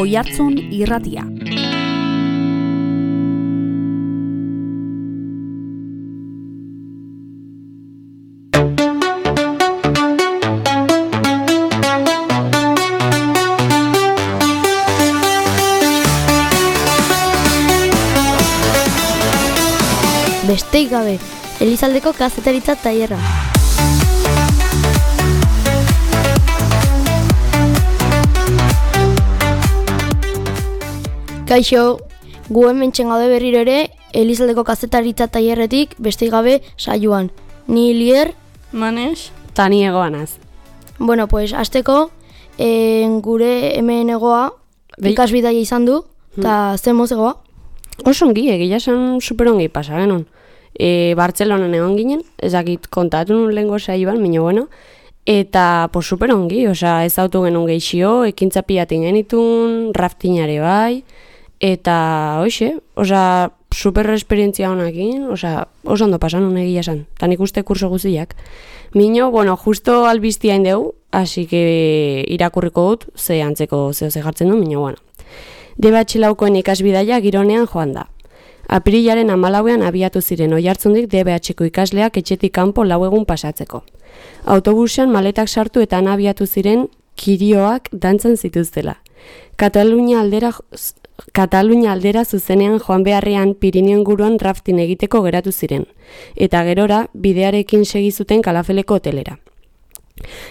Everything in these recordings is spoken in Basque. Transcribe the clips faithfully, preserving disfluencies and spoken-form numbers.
Oihartzun irratia. Besteik gabe, Elizaldeko kazetaritza tailerra. Kaixo, gu hemen txengaude berriro ere Elizaldeko kazetaritza tailerretik besteik gabe saioan. Ni Lier, Manes, eta ni Egoanaz. Bueno, pues hasteko e, gure hemen Egoa Be- ikasbidaia izan du, eta zen moz Egoa? Oso ongi, egia esan superongi pasa genuen. E, Bartzelonan egon ginen, ezakit kontatu nun lehengo saioan, minio bueno, eta pues superongi, osea ez autu genuen geixio, ekintza pilatin genitun, raftinare bai, eta hoxe, osea super esperientzia honekin, osea oso ondo pasan nun egia esan, eta nik uste kurso guztiak. Minio, bueno, justo albiztia indeu, así que irakurriko dut, ze antzeko zeo ze jartzen du, minio, bueno. D B H laukoen ikasbidaia gironean joan da. Apirilaren hamalauean abiatu ziren Oihartzundik D B H ko ikasleak etxetik kanpo lau egun pasatzeko. Autobusean maletak sartu eta han abiatu ziren kirioak dantzan zituztela. Katalunia aldera, Katalunia aldera zuzenean joan beharrean Pirinio inguruan rafting egiteko geratu ziren, eta gerora bidearekin segi zuten Kalafeleko hotelera.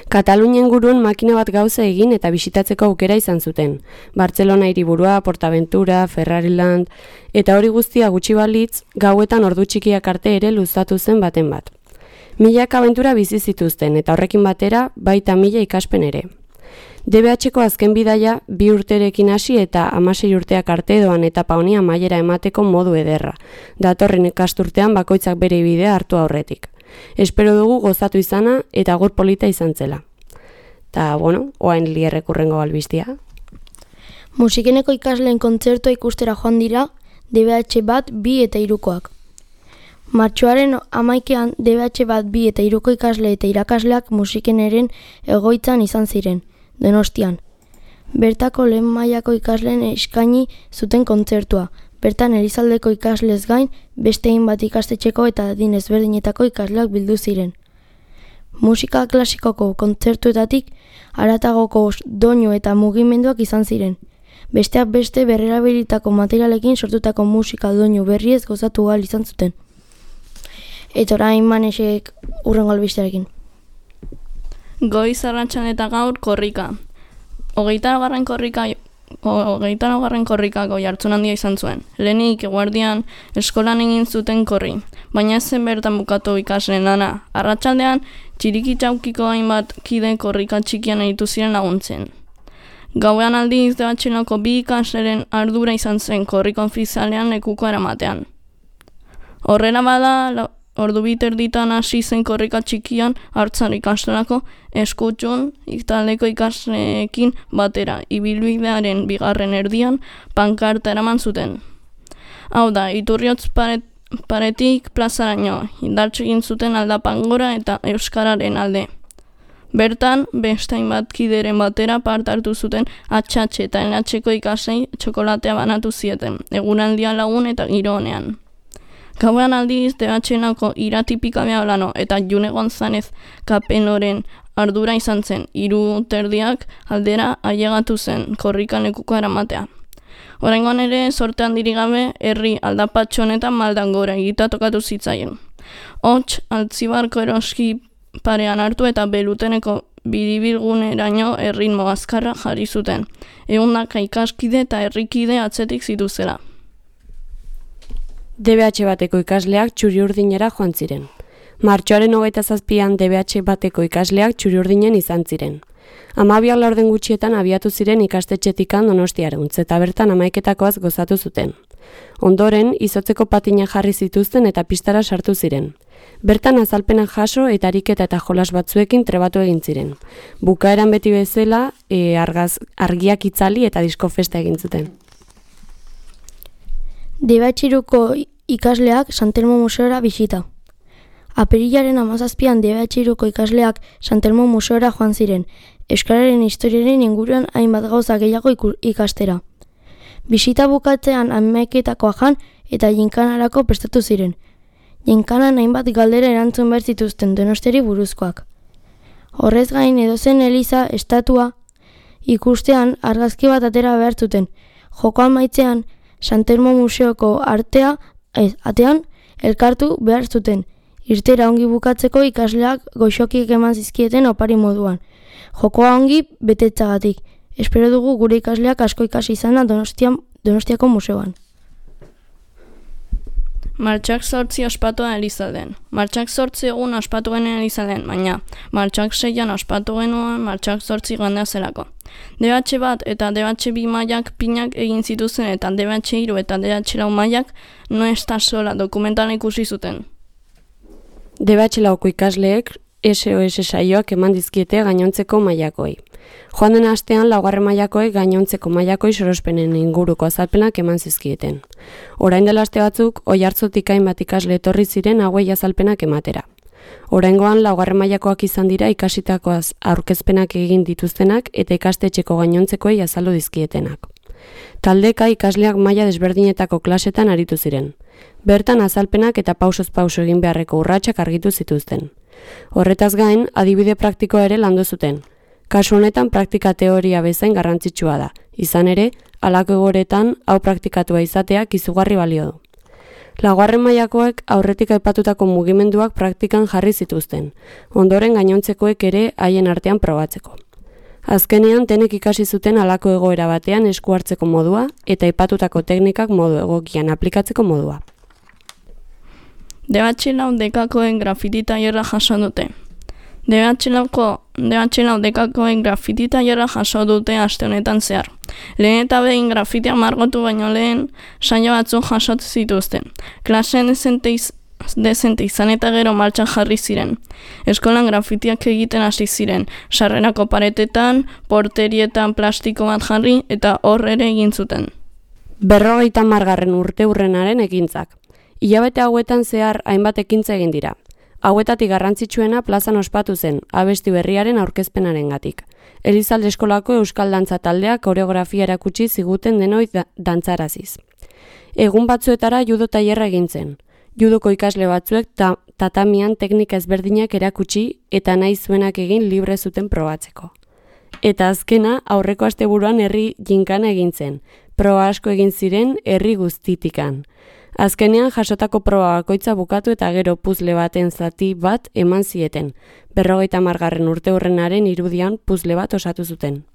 Katalunia inguruan makina bat gauza egin eta bisitatzeko aukera izan zuten. Bartzelona hiriburua, Portaventura, Ferrariland, eta hori guztia gutxi balitz, gauetan ordu txikiak arte ere luzatu zen baten bat. Milak abentura bizi zituzten eta horrekin batera baita mila ikaspen ere. D B H ko azken bidaia bi urterekin hasi eta hamasei urteak arte doan etapa honi amaiera emateko modu ederra. Datorren ikasturtean bakoitzak bere bidea hartu aurretik. Espero dugu gozatu izana eta gor polita izan zela. Ta, bueno, oain Lierrek urrengo albistia. Musikeneko ikasleen kontzertua ikustera joan dira D B H bat, bi eta hirukoak. Martxoaren hamaikean D B H bat, bi eta hiruko ikasle eta irakasleak musikeneren egoitzan izan ziren, Donostian. Bertako lehen mailako ikasleen eskaini zuten kontzertua. Bertan Elizaldeko ikaslez gain, beste hainbat ikastetxeko eta adin ezberdinetako ikasleak bildu ziren. Musika klasikoko kontzertuetatik haratagoko doinu eta mugimenduak izan ziren. Besteak beste berrerabilitako materialekin sortutako musika doinu berriez gozatu ahal izan zuten. Eta orain Manesek urrengo albistearekin. goiz arratsan eta gaur korrika. Hogeita laugarren korrika Hogeita laugarren korrikako jartzun handia izan zuen. Lehenik eguerdian eskolan egin zuten korri, baina ez zen bertan bukatu ikasleen lana. Arratsaldean txirikitzaukiko hainbat kide korrika txikian aritu ziren laguntzen. Gauean aldiz D B H lauko bi ikasleren ardura izan zen korrika ofizialean lekuko eramatean. Horrela bada, ordu biterditan hasi zen korrika txikian hartzan ikastolako eskutxun taldeko ikasleekin batera, ibilbidearen bigarren erdian pankarta eraman zuten. Hau da, Iturriotz paret, paretik plazaraino, indartsu egin zuten aldapan gora eta euskararen alde. Bertan, beste hainbat kideren batera parte hartu zuten H H eta N H ko ikaslei txokolatea banatu zieten, egunaldian lagun eta giro honean. Gauean aldiz, D B H lauko iratipika Beaolano eta June González Kapenoren ardura izan zen, hiru terdiak aldera ailegatu zen korrikan lekuko eramatea. Oraingoan ere, sorte handirik gabe, herri aldapatxo honetan maldan gora egita tokatu zitzaien. Hots, Altzibarko eroski parean hartu eta Beluteneko biribilguneraino erritmo azkarra jarri zuten. Ehundaka ikaskide eta herrikide atzetik zituzela. D B H bateko ikasleak Txuriurdinera joan ziren. Martxoaren hogeita zazpian D B H bateko ikasleak Txuriurdinen izan ziren. Hamabiak laurden gutxietan abiatu ziren ikastetxetikan Donostiareuntz eta bertan hamaiketakoaz gozatu zuten. Ondoren, izotzeko patina jarri zituzten eta pistara sartu ziren. Bertan azalpenak jaso eta ariketa eta jolas batzuekin trebatu egin ziren. Bukaeran beti bezala, e, argaz, argiak itzali eta diskofesta egin zuten. D B H hiruko ikasleak Santelmo museora bisita. Apirilaren hamazazpian D B H hiruko ikasleak Santelmo museora joan ziren, euskararen historiaren inguruan hainbat gauza gehiago ikastera. Bisita bukatzean hamaiketakoa jan eta jinkanarako prestatu ziren. Jinkanan hainbat galdera erantzun behar zituzten Donosteri buruzkoak. Horrez gain edozen eliza estatua ikustean argazki bat atera behar zuten. Jokoan maitzean Santelmo Museoko artea, ez, atean elkartu behar zuten. Irtera ongi bukatzeko ikasleak goxokiek eman zizkieten opari moduan. Jokoa ongi betetzagatik. Espero dugu gure ikasleak asko ikasi izana Donostian, Donostiako museoan. Martxak zortzi ospatua Elizalden. Martxak zortzi egun ospatu genuen Elizalden, baina martxak seian ospatu genuen martxak zortzi gandea zelako. D B H bat eta D B H bi mailak pinak egin zituzen eta D B H hiru eta D B H lau mailak no esta sola dokumentala ikusi zuten. D B H lauko ikasleek S O S saioak eman dizkiete gainontzeko mailakoei. Joan den astean laugarren mailakoek gainontzeko mailakoi sorospenen inguruko azalpenak eman zizkieten. Orain dela aste batzuk, Oiartzutik hainbat ikasle etorri ziren hauei azalpenak ematera. Oraingoan laugarren mailakoak izan dira ikasitakoaz aurkezpenak egin dituztenak eta ikastetxeko gainontzekoei azaldu dizkietenak. Taldeka ikasleak maila desberdinetako klasetan aritu ziren. Bertan azalpenak eta pausoz pauso egin beharreko urratsak argitu zituzten. Horretaz gain, adibide praktikoa ere landu zuten. Kasu honetan praktika teoria bezain garrantzitsua da. Izan ere, halako egoretan hau praktikatua izateak izugarri balio du. Laugarren mailakoek aurretik aipatutako mugimenduak praktikan jarri zituzten, ondoren gainontzekoek ere haien artean probatzeko. Azkenean denek ikasi zuten halako egoera batean esku hartzeko modua eta aipatutako teknikak modu egokian aplikatzeko modua. D B H lau dekakoen grafiti tailerra jaso dute. D B H lauko D B H lau dekakoen grafiti tailerra jaso dute aste honetan zehar. Lehen eta behin grafitia margotu baino lehen saio batzuk jasot zituzten. Klaseen dezente, iz, dezente izan eta gero martxan jarri ziren. Eskolan grafitiak egiten hasi ziren, sarrerako paretetan, porterietan plastiko bat jarri eta hor ere egin zuten. Berrogeita hamargarren urte hurrenaren ekintzak. Hilabete hauetan zehar hainbat ekintza egin dira. Hauetatik garrantzitsuena plazan ospatu zen, abesti berriaren aurkezpenarengatik. Elizalde eskolako euskal dantza taldeak koreografia erakutsi ziguten denoi da dantzaraziz. Egun batzuetara judo tailerra egin zen. Judoko ikasle batzuek ta tatamian teknika ezberdinak erakutsi eta nahi zuenak egin libre zuten probatzeko. Eta azkena aurreko asteburuan herri jinkana egin zen. Proba asko egin ziren herri guztitikan. Azkenean jasotako proba bakoitza bukatu eta gero puzle baten zati bat eman zieten. Berrogeita hamargarren urte hurrenaren irudian puzle bat osatu zuten.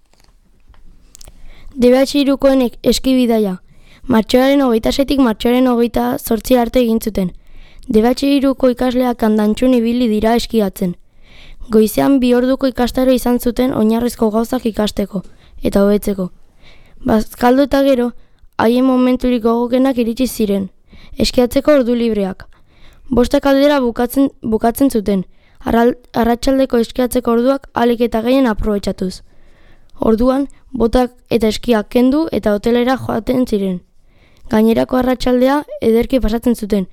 D B H hirukoen eskibidaia. Martxoaren hogeita seitik martxoaren hogeita zortzi arte egin zuten. D B H hiruko ikasleak Kandantxun ibili dira eskiatzen. Goizean bi orduko ikastaro izan zuten oinarrizko gauzak ikasteko eta hobetzeko. Bazkaldu eta gero, haien momenturik gogokenak iritsi ziren. Eskiatzeko ordu libreak. Bostak aldera bukatzen, bukatzen zuten, arratsaldeko eskiatzeko orduak ahalik eta gehien aprobetxatuz. Orduan, botak eta eskiak kendu eta hotelera joaten ziren. Gainerako arratsaldea ederki pasatzen zuten,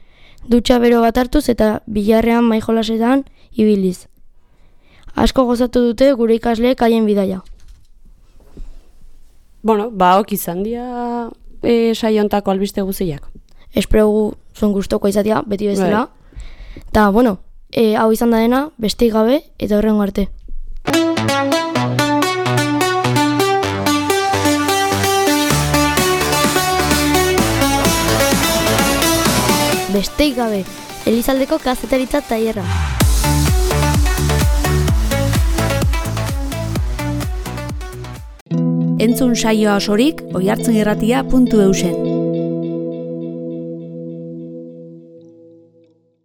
dutxa bero bat hartuz eta bilarrean maijolasetan ibiliz. Asko gozatu dute gure ikasleek haien bidaia. Bueno, ba, ok izan dira e, saiontako albiste guziak. Espero zuen gustoko izatea, beti bezala. Eta, bueno, e, hau izan da dena, besteik gabe, eta horrengo arte. Besteik gabe, Elizaldeko kazetaritza tailerra. Entzun saioa osorik oihartzunirratia puntu eusen.